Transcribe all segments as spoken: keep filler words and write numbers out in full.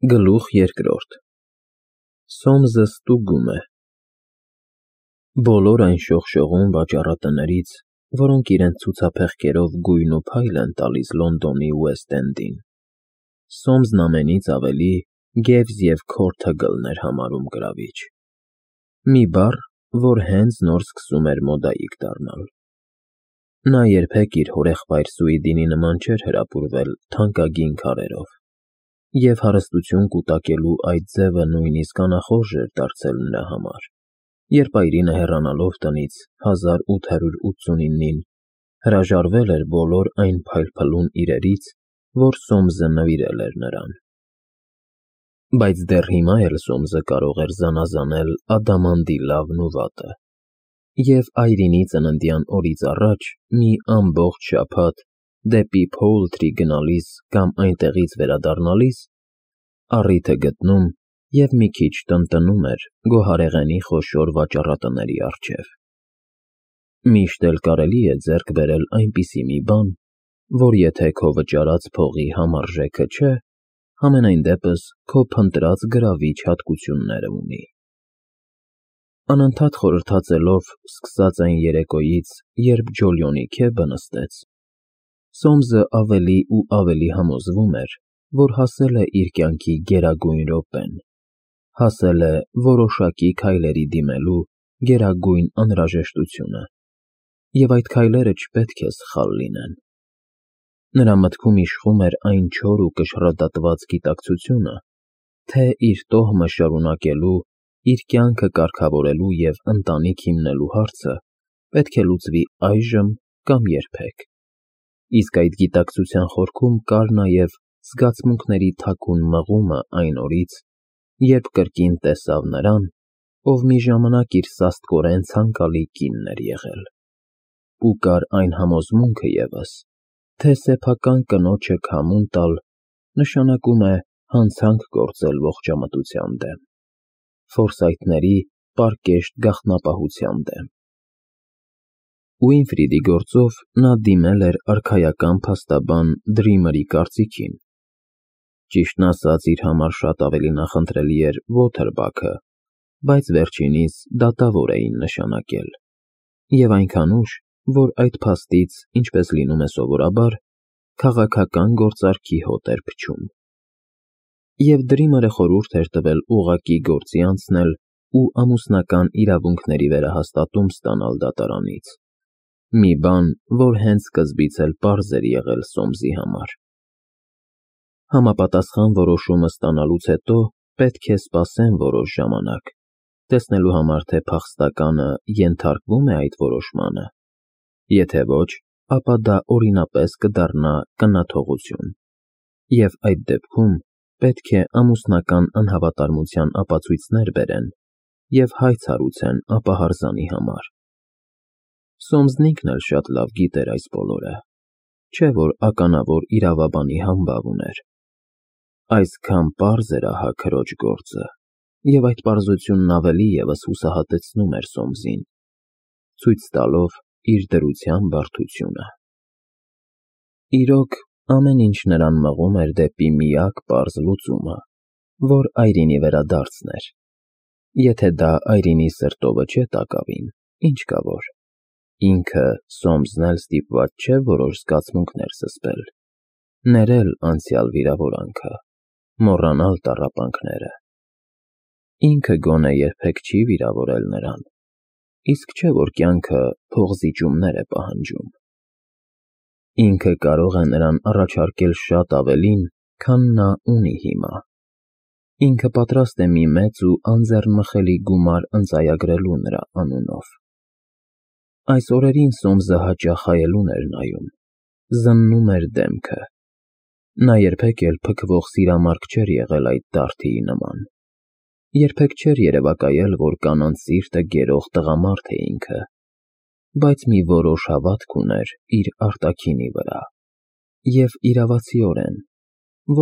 Գլուխ երկրորդ Սոմզը ստուգում է Բոլոր այն շողշողուն վաճառատներից, որոնք իրենց ցուցափեղկերով գույն ու փայլ են տալիս Լոնդոնի Ուեսթ Էնդին, Սոմզն ամենից ավելի գևս և քոր թգլն էր համարում գրավիչ, մի բառ, որ հենց նոր սկսում էր մոդայիկ դառնալ։ Նա երբեք իր հորեղբայր Սուիդինի նման չէր հրապուրվել թանկագին քարերով, և հարստություն կուտակելու այդ ձևը նույնիսկ անախորժ էր դարձել նրա համար, երբ այրինը հեռանալով տնից հազար ութ հարյուր ութսունինին հրաժարվել էր բոլոր այն փայլփլուն իրերից, որ Սոմզը նվիրել էր նրան։ Բայց դեռ հիմա էլ Սոմզը կարող էր զանազանել ադամանդի լավն ու վատը, և այրինի ծննդյան օրից առաջ մի ամբողջ շաբաթ դեպի Փոուլթրի գնալիս կամ այնտեղից վերադառնալիս առիթը գտնում և մի քիչ տնտնում էր գոհարեղենի խոշոր վաճառատների առջև։ Միշտ էլ կարելի է ձեռք բերել այնպիսի մի բան, որ եթե քո վճարած փողի համարժեքը չէ, համենայն դեպս քո փնտրած գրավիչ հատկությունները ունի։ Անընդհատ խորհրդածելով սկսած այն երեկոյից, երբ Ջոլիոնի քեբը նստեց, Սոմզը ավելի ու ավելի համոզվում էր, որ հասել է իր կյանքի գերագույն րոպեն, հասել է որոշակի քայլերի դիմելու գերագույն անհրաժեշտությունը, և այդ քայլերը չպետք է սխալ լինեն։ Նրա մտքում իշխում էր այն չոր ու կշռադատված գիտակցությունը, թե իր տոհմը շարունակելու, իր կյանքը կարգավորելու և ընտանիք հիմնելու հարցը պետք է լուծվի այժմ կամ երբեք, իսկ այդ գիտակցության խորքում կար նաև զգացմունքների թաքուն մղումը այն օրից, երբ կրկին տեսավ նրան, ով մի ժամանակ իր սաստկորեն ցանկալի կինն էր եղել, ու կար այն համոզմունքը ևս, թե սեփական կնոջը քամուն տալ նշանակում է հանցանք գործել ողջամտության դեմ, ֆորսայթների պարկեշտ գաղտնապահության դեմ։ Ուինֆրիդի գործով նա դիմել էր արքայական փաստաբան Դրիմերի կարծիքին, ճիշտն ասած իր համար շատ ավելի նախընտրելի էր Ոթերբաքը, բայց վերջինիս դատավոր էին նշանակել, և այնքան ուշ, որ այդ փաստից, ինչպես լինում է սովորաբար, քաղաքական գործարքի հոտ էր փչում։ Եվ Դրիմերը խորհուրդ էր տվել ուղղակի գործի անցնել ու ամուսնական իրավունքների վերահաստատում ստանալ դատարանից, մի բան, որ հենց սկզբից էլ պարզ էր եղել Սոմզի համար։ Համապատասխան որոշումը ստանալուց հետո պետք է սպասեն որոշ ժամանակ, տեսնելու համար, թե փախստականը ենթարկվո՞ւմ է այդ որոշմանը, եթե ոչ, ապա դա օրինապես կդառնա կնաթողություն, և այդ դեպքում պետք է ամուսնական անհավատարմության ապացույցներ բերեն և հայց հարուցեն ապահարզանի համար։ Սոմզն ինքն էլ շատ լավ գիտեր այս բոլորը, չէ՞ որ ականավոր իրավաբանի համբավ ուներ։ Այսքան պարզ էր ահա քրոջ գործը, և այդ պարզությունն ավելի ևս հուսահատեցնում էր Սոմզին, ցույց տալով իր դրության բարդությունը։ Իրոք, ամեն ինչ նրան մղում էր դեպի միակ պարզ լուծումը, որ այրինի վերադարձն էր։ Եթե դա այրինի սրտովը չէ տակավին, ինչ կա որ։ Ինքը Սոմզն էլ ստիպված չէ որոշ զգացմունքներ զսպել, ներել անցյալ վիրավորանքը, մոռանալ տառապանքները։ Ինքը գոնե երբեք չի վիրավորել նրան, իսկ չէ որ կյանքը փոխզիջումներ է պահանջում։ Ինքը կարող է նրան առաջարկել շատ ավելին, քան նա ունի հիմա։ Ինքը պատրաստ է մի մեծ ու անձեռնմխելի գումար ընծայագրելու նրա անունով։ Այս օրերին Սոմզը հաճախ հայելուն էր նայում, զննում էր դեմքը։ Նա երբեք էլ փքվող սիրամարգ չէր եղել այդ դարդիի նման, երբեք չէր երևակայել, որ կանանց սիրտը գերող տղամարդ է ինքը, բայց մի որոշ հավատք ուներ իր արտաքինի վրա, և իրավացիորեն,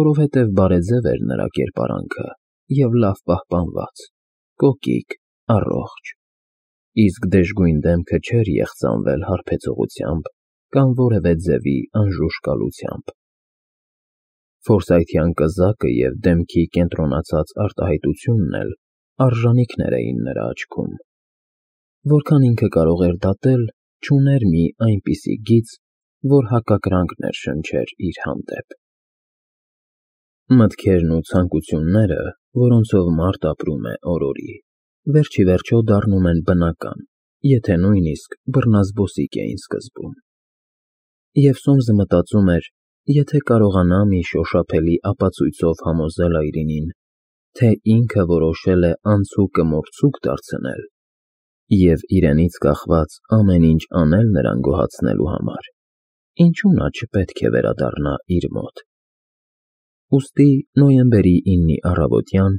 որովհետև բարեձև էր նրա կերպարանքը և լավ պահպանված, կոկիկ, առողջ, իսկ դժգույն դեմքը չէր եղծանվել հարբեցողությամբ կամ որևէ ձևի անժուշկալությամբ։ Ֆորսայթյան կզակը և դեմքի կենտրոնացած արտահայտությունն էլ արժանիքներ էին նրա աչքում։ Որքան ինքը կարող էր դատել, չուներ մի այնպիսի գիծ, որ հակակրանքներ շնչեր իր հանդեպ։ Մտքերն ու ցանկությունները, որոնցով մարդ ապրում է օր֊օրի, վերջիվերջո դառնում են բնական, եթե նույնիսկ բռնազբոսիկ էին սկզբում։ Եվ Սոմսը մտածում էր, եթե կարողանա մի շոշափելի ապացույցով համոզել այրինին, թե ինքը որոշել է անցուկը մորցուկ դարձնել և իրենից կախված ամեն ինչ անել նրան գոհացնելու համար, ինչու նա չպետք է վերադառնա իր մոտ։ Ուստի նոյեմբերի իննի առավոտյան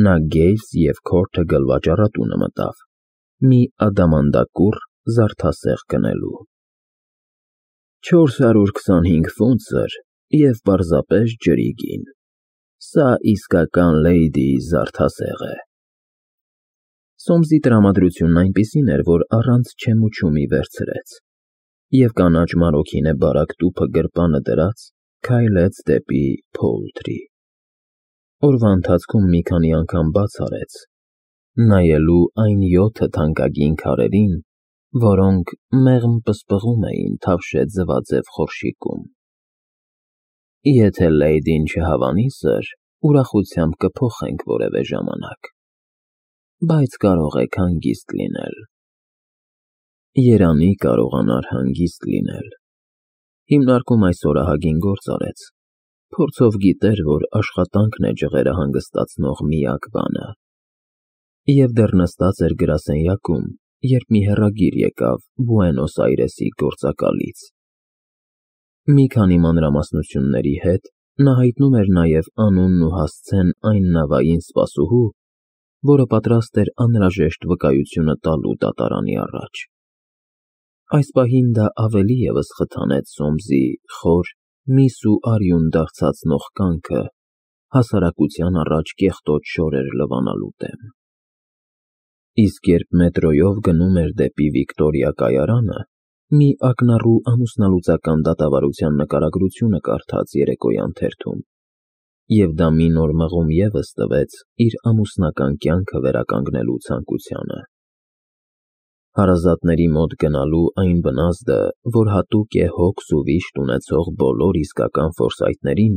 նա Գեյլս և Քորթը գլվաճ առատունը մտավ, մի ադամանդակուռ զարդասեղ գնելու։ Չորս հարյուր քսանհինգ ֆունտսր և պարզապես ջրի գին, սա իսկական լեյդիի զարդասեղ է։ Սոմսի տրամադրությունն այնպիսին էր, որ առանց չեմուչումի վերցրեց և կանաչ մարոքինե բարակ տուփը գրպանը դրած, քայլեց դեպի Փոուլթրի։ Օրվա ընթացքում մի քանի անգամ բաց արեց, նայելու այն յոթը թանկագին քարերին, որոնք մեղմ պսպղում էին թավշե ձվաձև խորշիկում։ Եթե լեյդին չհավանի, սըր, ուրախությամբ կփոխենք որևէ ժամանակ, բայց կարող եք հանգիստ լինել։ Երանի կարողանար հանգիստ լինել։ Հիմնարկում այս օրահագին գործ արեց, փորձով գիտեր, որ աշխատանքն է ջղերը հանգստացնող միակ բանը։ Եվ դեռ նստած էր գրասենյակում, երբ մի հեռագիր եկավ Բուենոս Այրեսի գործակալից։ Մի քանի մանրամասնությունների հետ նա հայտնում էր նաև անունն ու հասցեն այն նավային սպասուհու, որը պատրաստ էր անհրաժեշտ վկայությունը տալու դատարանի առաջ։ Այս պահին դա ավելի ևս խթանեց Սոմսի խոր, միս ու արյուն դարձածնող կյանքը հասարակության առաջ կեղտոտ շորեր լվանալու դեմ։ Իսկ երբ մետրոյով գնում էր դեպի Վիկտորիա կայարանը, մի ակնառու ամուսնալուծական դատավարության նկարագրությունը կարդաց երեկոյան թերթում, և դա մի նոր մղում ևս տվեց իր ամուսնական կյանքը վերականգնելու ցանկությանը։ Հարազատների մոտ գնալու այն բնազդը, որ հատուկ է հոգս ու վիշտ ունեցող բոլոր իսկական ֆորսայթներին,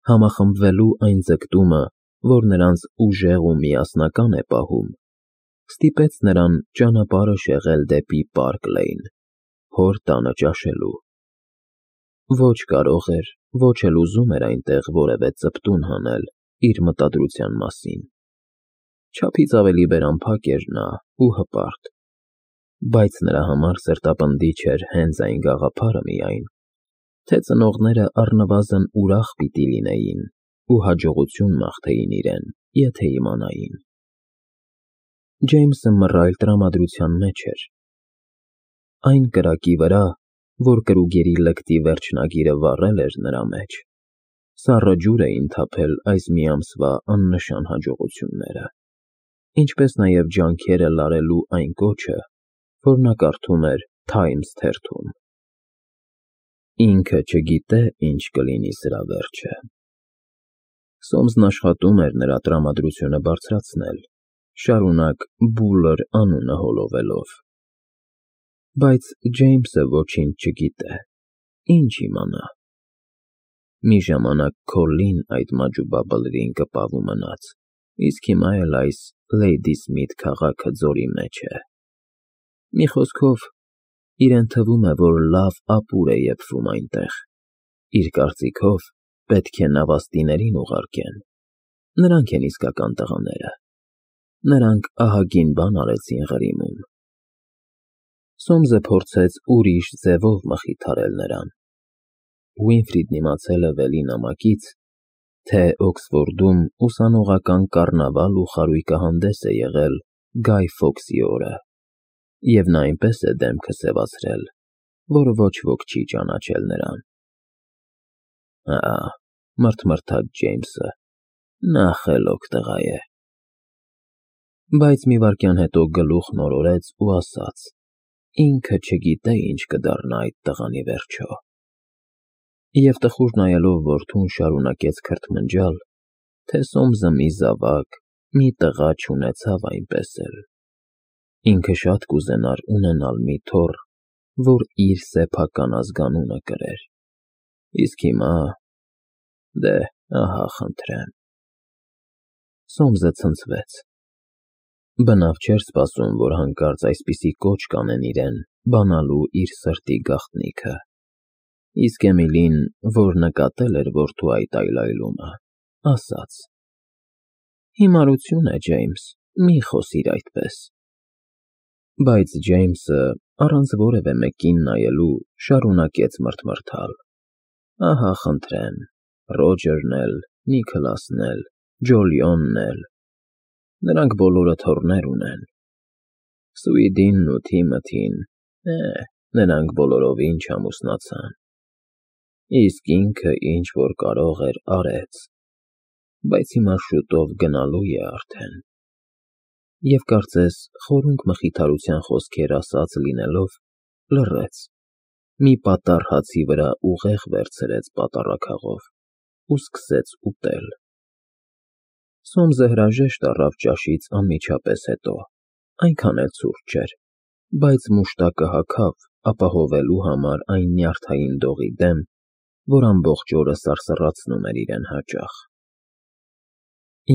համախմբվելու այն ձգտումը, որ նրանց ուժեղ ու միասնական է պահում, ստիպեց նրան ճանապարհը շեղել դեպի Պարկ Լեյն, հոր տանը ճաշելու։ Ոչ կարող էր, ոչ էլ ուզում էր այնտեղ որևէ ծպտուն հանել իր մտադրության մասին։ Չափից ավելի բերամփակ էր նա ու հպարտ, բայց նրա համար սրտապնդիչ էր հենց այն գաղափարը միայն, թե ծնողները առնվազն ուրախ պիտի լինեին ու հաջողություն մաղթեին իրեն, եթե իմանային։ Ջեյմսը մռայլ տրամադրության մեջ էր։ Այն կրակի վրա, որ կրուգերի լկտի վերջնագիրը վառել էր նրա մեջ, սառը ջուր էին թափել այս մի ամսվա աննշան հաջողությունները, ինչպես նաև ջանքերը լարելու այն կոչը, որ նա կարդում էր Թայմս թերթում։ Ինքը չգիտե ինչ կլինի սրա վերջը։ Սոմսն աշխատում էր նրա տրամադրությունը բարձրացնել, շարունակ Բուլլր անունը հոլովելով։ Բայց Ջեյմսը ոչինչ չգիտե, ինչ իմանա։ Մի ժամանակ Քոլլին այդ մաջուբաբլրին կպավ ու մնաց, իսկ հիմա էլ այս Լեյդի Սմիթ քաղաքը ձորի մեջ է։ Մի խոսքով, իրեն թվում է, որ լավ ապուր է եփվում այնտեղ։ Իր կարծիքով, պետք է նավաստիներին ուղարկեն։ Նրանք են իսկական տղաները։ Նրանք ահագին բան արեցին Ղրիմում։ Սոմսը փորձեց ուրիշ ձևով մխիթարել նրան։ Ուինֆրիդն իմացել է վելի նամակից, թե Օքսֆորդում ուսանողական կառնավալ ու խարույկահանդես է եղել Գայ Ֆոքսի օրը, և նա այնպես է դեմքը սևացրել, որ ոչ ոք չի ճանաչել նրան։ Հա, մռթմռթաց Ջեյմսը, նա խելոք տղա է։ Բայց մի վայրկյան հետո գլուխն օրորեց ու ասաց. ինքը չգիտե ինչ կդառնա այդ տղան ի վերջո։ Եվ տխուր նայելով որդուն շարունակեց քրթմնջալ, թե Սոմսը մի զավակ, մի տղա չունեցավ այնպես էլ։ Ինքը շատ կուզենար ունենալ մի թոռ, որ իր սեփական ազգանունը կրեր, իսկ հիմա… դե, ահա խնդրեմ… Սոմսը ցնցվեց։ Բնավ չէր սպասում, որ հանկարծ այսպիսի կոչ կանեն իրեն բանալու իր սրտի գաղտնիքը, իսկ Էմիլին, որ նկատել էր որդու այդ այլայլումը, ասաց. Հիմարություն է, Ջեյմս, մի խոսիր այդպես… Բայց Ջեյմսը, առանց որևէ մեկին նայելու, շարունակեց մռթմռթալ. Ահա խնդրեմ, Ռոջերն էլ, Նիքլասն էլ, Ջոլիոնն էլ… նրանք բոլորը թոռներ ունեն… Սուիդինն ու Թիմոթին… է, նրանք բոլորովին չամուսնացան… Իսկ ինքը ինչ֊որ կարող էր արեց… բայց հիմա շուտով գնալու է արդեն… Եվ կարծես խորունկ մխիթարության խոսքեր ասած լինելով, լռեց, մի պատառ հացի վրա ուղեղ վերցրեց պատառաքաղով ու սկսեց ուտել… Սոմսը հրաժեշտ առավ ճաշից անմիջապես հետո, այնքան էլ ցուրտ չէր, բայց մուշտակը հագավ ապահովելու համար այն նյարդային դողի դեմ, որ ամբողջ օրը սարսռացնում էր իրեն հաճախ…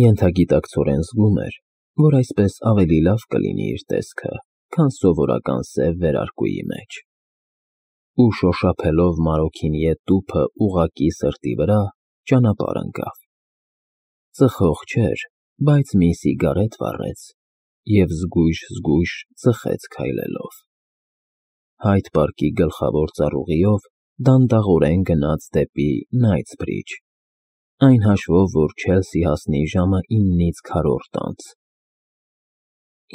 Ենթագիտակցորեն զգում էր, որ այսպես ավելի լավ կլինի իր տեսքը, քան սովորական սև վերարկուի մեջ… Ու շոշափելով Մարոքինիե տուփը ուղղակի սրտի վրա, ճանապարհ ընկավ… Ծխող չէր, բայց մի սիգարետ վառեց և զգույշ֊զգույշ ծխեց քայլելով… Հայդ պարկի գլխավոր ծառուղիով դանդաղորեն գնաց դեպի Նայթսբրիջ, այն հաշվով, որ Չելսի հասնի ժամը իննից քառորդ անց…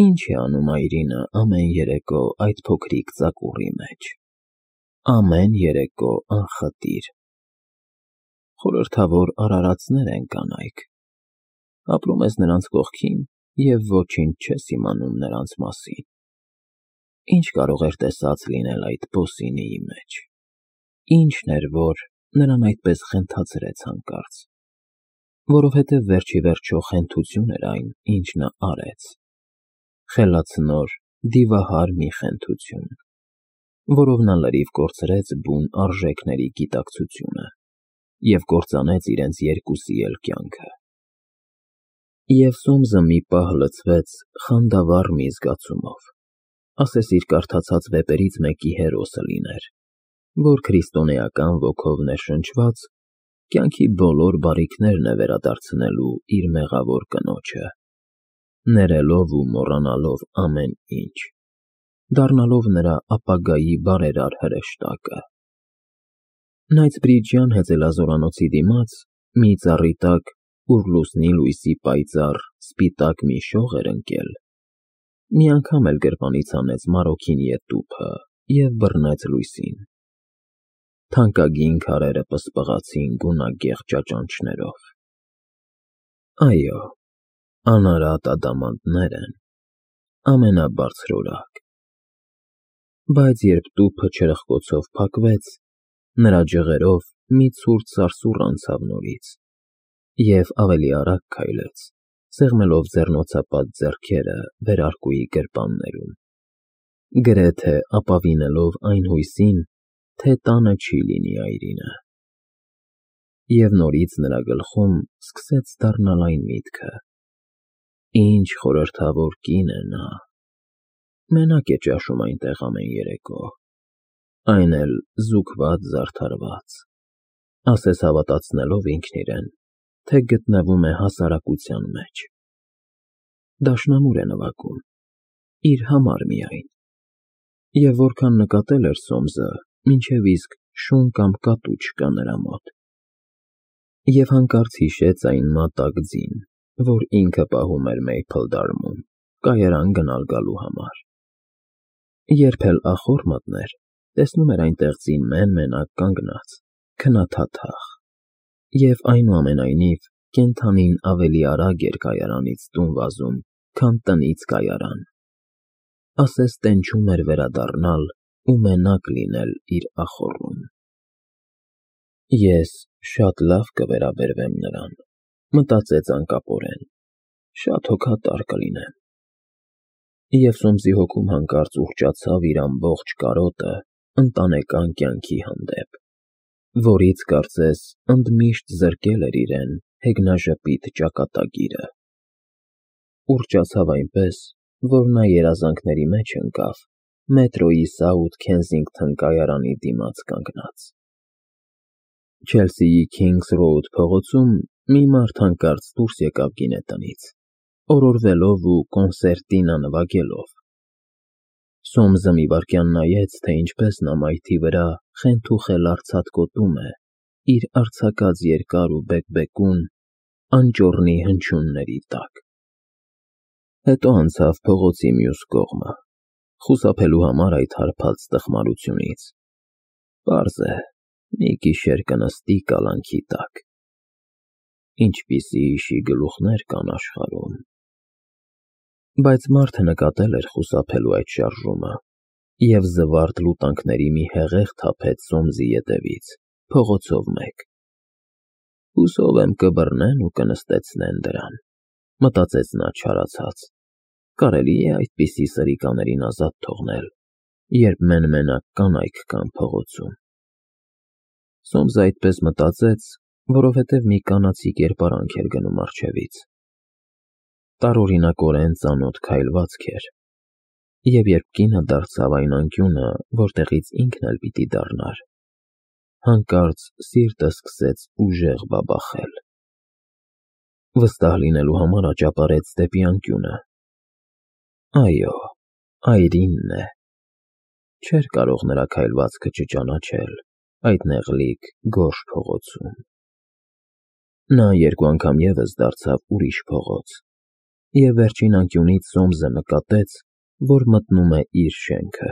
Ինչ է անում այրինը ամեն երեկո այդ փոքրիկ ծակուռի մեջ… Ամեն երեկո անխտիր… Խորհրդավոր արարածներ են կանայք… Ապրում ես նրանց կողքին և ոչինչ չես իմանում նրանց մասին… Ինչ կարող էր տեսած լինել այդ բոսինիի մեջ… Ի՞նչն էր, որ նրան այդպես խենթացրեց հանկարծ… Որովհետև վերջիվերջո խենթություն էր այն, ինչ նա արեց… Խելացնոր, դիվահար մի խենթություն, որով նա լրիվ կորցրեց բուն արժեքների գիտակցությունը և կործանեց իրենց երկուսի էլ կյանքը… Եվ Սոմսը մի պահ լցվեց խանդավառ մի զգացումով, ասես իր կարդացած վեպերից մեկի հերոսը լիներ, որ քրիստոնեական ոգով ներշնչված, կյանքի բոլոր բարիքներն է վերադարձնելու իր մեղավոր կնոջը, ներելով ու մոռանալով ամեն ինչ, դառնալով նրա ապագայի բարերար հրեշտակը… Նայթսբրիջյան հեծելազորանոցի դիմաց, մի ծառի տակ, ուր լուսնի լույսի պայծառ, սպիտակ մի շող էր ընկել, մի անգամ էլ գրպանից հանեց Մարոքինիե տուփը և բռնեց լույսին… Թանկագին քարերը պսպղացին գունագեղ ճաճանճներով… Այո, անարատ ադամանդներ են, ամենաբարձրորակ… Բայց երբ տուփը չրպկոցով փակվեց, նրա ջղերով մի ցուրտ սարսուռ անցավ նորից և ավելի արագ քայլեց, սեղմելով ձեռնոցապատ ձեռքերը վերարկուի գրպաններում, գրեթե ապավինելով այն հույսին, թե տանը չի լինի այրինը… Եվ նորից նրա գլխում սկսեց դառնալ այն միտքը. ինչ խորհրդավոր կին է նա… Մենակ է ճաշում այնտեղ ամեն երեկո, այն էլ զուգված֊զարդարված, ասես հավատացնելով ինքն իրեն, թե գտնվում է հասարակության մեջ… Դաշնամուր է նվագում, իր համար միայն… Եվ որքան նկատել էր Սոմսը, մինչև իսկ շուն կամ կատու չկա նրա մոտ… Եվ հանկարծ հիշեց այն մատակ ձին, որ ինքը պահում էր Մեյփլդարմում, կայարան գնալ֊գալու համար… Երբ էլ ախոր մտներ, տեսնում էր այնտեղ ձին մեն֊մենակ կանգնած, քնաթաթախ… Եվ այնուամենայնիվ կենդանին ավելի արագ էր կայարանից տուն վազում, քան տնից կայարան… Ասես տենչում էր վերադառնալ ու մենակ լինել իր ախոռում… Ես շատ լավ կվերաբերվեմ նրան, մտածեց անկապորեն, շատ հոգատար կլինեմ։ Եվ Սոմսի հոգում հանկարծ ուռճացավ իր ամբողջ կարոտը ընտանեկան կյանքի հանդեպ, որից կարծես ընդմիշտ զրկել էր իրեն հեգնաժպիտ ճակատագիրը։ Ուռճացավ այնպես, որ նա երազանքների մեջ ընկավ մետրոյի Սաութ Քենսինգթոն կայարանի դիմաց կանգնած։ Չելսիի Քինգս Ռոուդ փողոցում մի մարդ հանկարծ դուրս եկավ գինետնից, օրորվելով ու կոնսերտինա նվագելով։ Սոմսը մի վայրկյան նայեց, թե ինչպես նա մայթի վրա խենթուխել արձակոտում է իր արձակած երկար ու բեկբեկուն անճոռնի հնչյունների տակ։ Հետո անցավ փողոցի մյուս կողմը, խուսափելու համար այդ հարբած տխմարությունից։ Պարզ է, մի գիշեր կնստի կալանքի տակ։ Ինչպիսի իշի գլուխներ կան աշխարհում։ Բայց մարդը նկատել էր խուսափելու այդ շարժումը և զվարթ լուտանքների մի հեղեղ թափեց Սոմսի ետևից, փողոցով մեկ։ Հուսով եմ կբռնեն ու կնստեցնեն դրան, մտածեց նա չարացած։ Կարելի է այդպիսի սրիկաներին ազատ թողնել, երբ մեն֊մենակ կանայք կան փողոցում։ Սոմսը այդպես մտածեց, որովհետև մի կանացի կերպարանք էր գնում առջևից։ Տարօրինակորեն ծանոթ քայլվածք էր, և երբ կինը դարձավ այն անկյունը, որտեղից ինքն էլ պիտի դառնար, հանկարծ սիրտը սկսեց ուժեղ բաբախել։ Վստահ լինելու համար աճապարեց դեպի անկյունը։ Այո, այրինն է։ Չէր կարող նրա քայլվածքը չճանաչել այդ նեղլիկ գորշ փողոցում։ Նա երկու անգամ ևս դարձավ ուրիշ փողոց, և վերջին անկյունից Սոմսը նկատեց, որ մտնում է իր շենքը։